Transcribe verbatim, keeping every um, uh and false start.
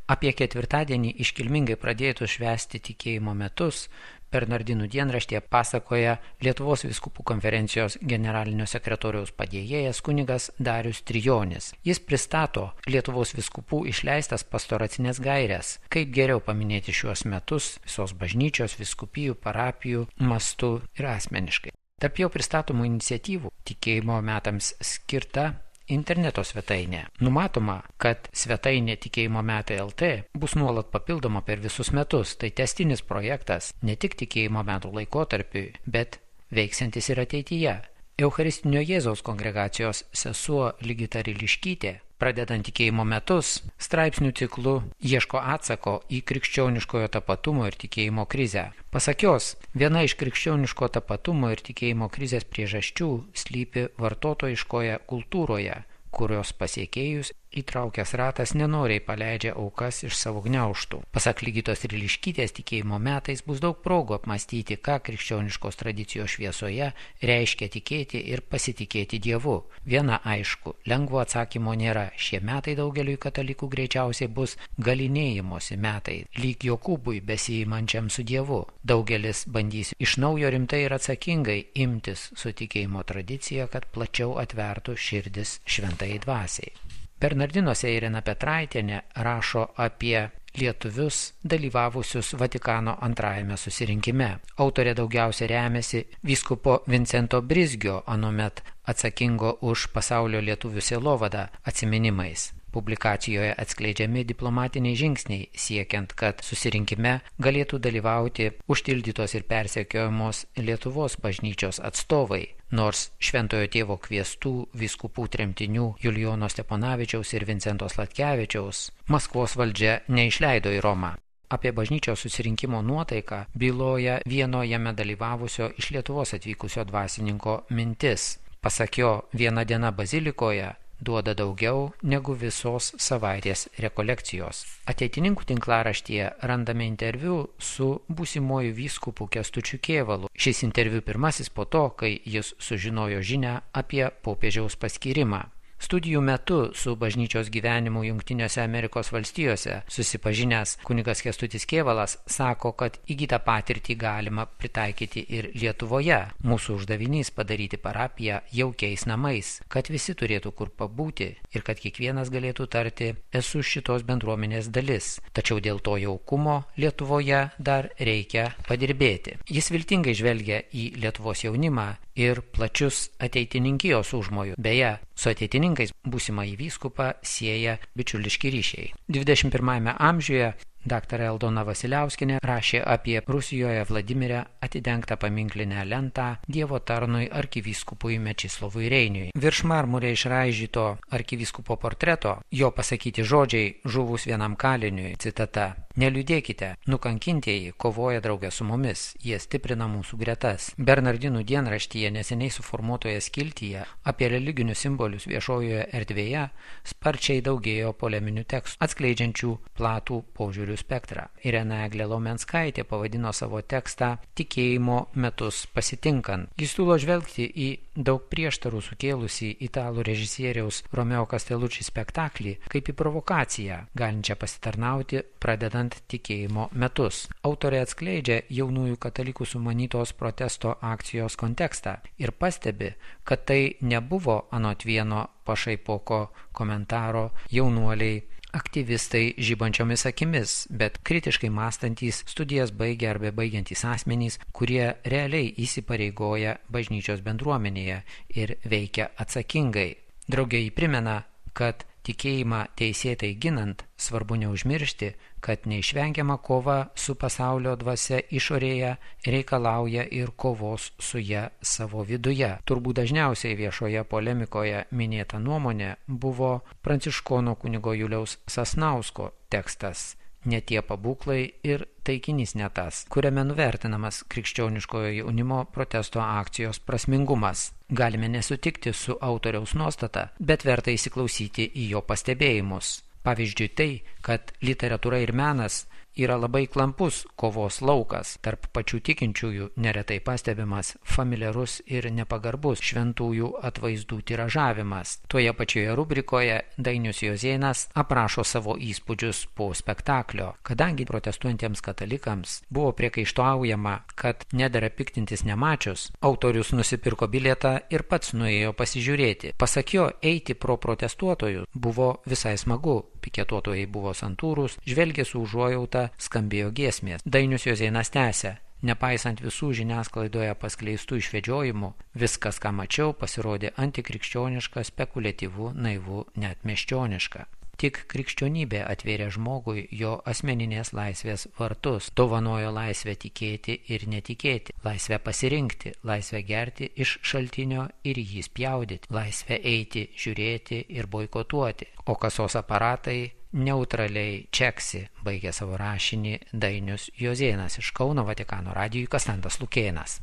Apie ketvirtadienį iškilmingai pradėtų švęsti tikėjimo metus Bernardinų dienraštyje pasakoja Lietuvos vyskupų konferencijos generalinio sekretoriaus padėjėjas kunigas Darius Trijonis. Jis pristato Lietuvos vyskupų išleistas pastoracinės gaires, kaip geriau paminėti šiuos metus visos bažnyčios, vyskupijų, parapijų mastu ir asmeniškai. Tarp jau pristatomų iniciatyvų tikėjimo metams skirta interneto svetainė. Numatoma, kad svetainė tikėjimo metai L T bus nuolat papildoma per visus metus. Tai tęstinis projektas ne tik tikėjimo metų laikotarpiui, bet veiksiantis ir ateityje. Eucharistinio Jėzaus kongregacijos sesuo Ligita Riliškytė, pradedant tikėjimo metus, straipsnių ciklu ieško atsako į krikščioniškojo tapatumo ir tikėjimo krizę. Pasak jos, viena iš krikščioniško tapatumo ir tikėjimo krizės priežasčių slypi vartotojiškoje kultūroje, kurios pasiekėjus įtraukęs ratas nenoriai paleidžia aukas iš savo gniaužtų. Pasak Ligitos Riliškytės, tikėjimo metais bus daug progų apmąstyti, ką krikščioniškos tradicijos šviesoje reiškia tikėti ir pasitikėti Dievu. Viena aišku, lengvo atsakymo nėra. Šie metai daugeliui katalikų greičiausiai bus galinėjimosi metai, lyg Jokūbui besiimančiam su Dievu. Daugelis bandys iš naujo rimtai ir atsakingai imtis su tikėjimo tradicija, kad plačiau atvertų širdis šventai dvasiai. Bernardinuose Irena Petraitienė rašo apie lietuvius dalyvavusius Vatikano antrajame susirinkime. Autorė daugiausia remiasi vyskupo Vincento Brizgio, anuomet atsakingo už pasaulio lietuvių sielovadą, atsiminimais. Publikacijoje atskleidžiami diplomatiniai žingsniai, siekiant, kad susirinkime galėtų dalyvauti užtildytos ir persekiojamos Lietuvos bažnyčios atstovai, nors Šventojo Tėvo kviestų vyskupų tremtinių Julijono Steponavičiaus ir Vincento Sladkevičiaus Maskvos valdžia neišleido į Romą. Apie bažnyčios susirinkimo nuotaiką byloja vieno jame dalyvavusio iš Lietuvos atvykusio dvasininko mintis. Pasak jo, viena diena bazilikoje duoda daugiau negu visos savaitės rekolekcijos. Ateitininkų tinklaraštyje randame interviu su būsimuoju vyskupu Kęstučiu Kėvalu. Šis interviu pirmasis po to, kai jis sužinojo žinią apie popiežiaus paskyrimą. Studijų metu su bažnyčios gyvenimu Jungtinėse Amerikos valstijose susipažinęs kunigas Kęstutis Kėvalas sako, kad įgytą patirtį galima pritaikyti ir Lietuvoje. Mūsų uždavinys padaryti parapiją jaukiais namais, kad visi turėtų kur pabūti ir kad kiekvienas galėtų tarti esu šitos bendruomenės dalis. Tačiau dėl to jaukumo Lietuvoje dar reikia padirbėti. Jis viltingai žvelgia į Lietuvos jaunimą ir plačius ateitininkijos užmojų. Beje, su ateitininkais būsimąjį vyskupą sieja bičiuliški ryšiai. dvidešimt pirmajame amžiuje daktarė Aldona Vasiliauskienė rašė apie Rusijoje Vladimire atidengtą paminklinę lentą Dievo tarnui arkivyskupui Mečislovui Reiniui. Virš marmurė išraižyto arkivyskupo portreto jo pasakyti žodžiai žuvus vienam kaliniui, citata: Neliūdėkite, nukankintieji kovoja draugę su mumis, jie stiprina mūsų gretas. Bernardinų dienraštyje neseniai suformuotoje skiltyje apie religinius simbolius viešojoje erdvėje sparčiai daugėjo poleminių tekstų, atskleidžiančių platų požiūrių spektrą. Irena Eglė Laumenskaitė pavadino savo tekstą Tikėjimo metus pasitinkant. Jis siūlo žvelgti į daug prieštarų sukėlusį italų režisieriaus Romeo Castellucci spektaklį kaip į provokaciją, galinčią pasitarnauti pradedant tikėjimo metus. Autorė atskleidžia jaunųjų katalikų sumanytos protesto akcijos kontekstą ir pastebi, kad tai nebuvo anot vieno pašaipoko komentaro jaunuoliai aktyvistai žibančiomis akimis, bet kritiškai mąstantys, studijas baigę arba baigiantys asmenys, kurie realiai įsipareigoja bažnyčios bendruomenėje ir veikia atsakingai. Drauge jį primena, kad tikėjimą teisėtai ginant svarbu neužmiršti, kad neišvengiama kova su pasaulio dvasia išorėje reikalauja ir kovos su ja savo viduje. Turbūt dažniausiai viešoje polemikoje minėta nuomonė buvo pranciškono kunigo Juliaus Sasnausko tekstas Ne tie pabūklai ir taikinys ne tas, kuriame nuvertinamas krikščioniškojo jaunimo protesto akcijos prasmingumas. Galime nesutikti su autoriaus nuostata, bet verta įsiklausyti į jo pastebėjimus. Pavyzdžiui tai, kad literatūra ir menas yra labai klampus kovos laukas. Tarp pačių tikinčiųjų neretai pastebimas familiarus ir nepagarbus šventųjų atvaizdų tiražavimas. Toje pačioje rubrikoje Dainius Juozėnas aprašo savo įspūdžius po spektaklio. Kadangi protestuojantiems katalikams buvo priekaištaujama, kad nedera piktintis nemačius, autorius nusipirko bilietą ir pats nuėjo pasižiūrėti. Pasak jo, eiti pro protestuotojus buvo visai smagu. Piketuotojai buvo santūrūs, žvelgė su užuojauta, skambėjo giesmės. Dainius Juozėnas tęsia. Nepaisant visų žiniasklaidoje paskleistų išvedžiojimų, viskas, ką mačiau, pasirodė antikrikščioniška, spekuliatyvu, naivu, net miesčioniška. Tik krikščionybė atvėrė žmogui jo asmeninės laisvės vartus, dovanojo laisvę tikėti ir netikėti, laisvę pasirinkti, laisvę gerti iš šaltinio ir jį spjaudyti, laisvę eiti, žiūrėti ir boikotuoti, o kasos aparatai neutraliai čeksi, baigė savo rašinį Dainius Juozėnas. Iš Kauno Vatikano radijui Kastantas Lukėnas.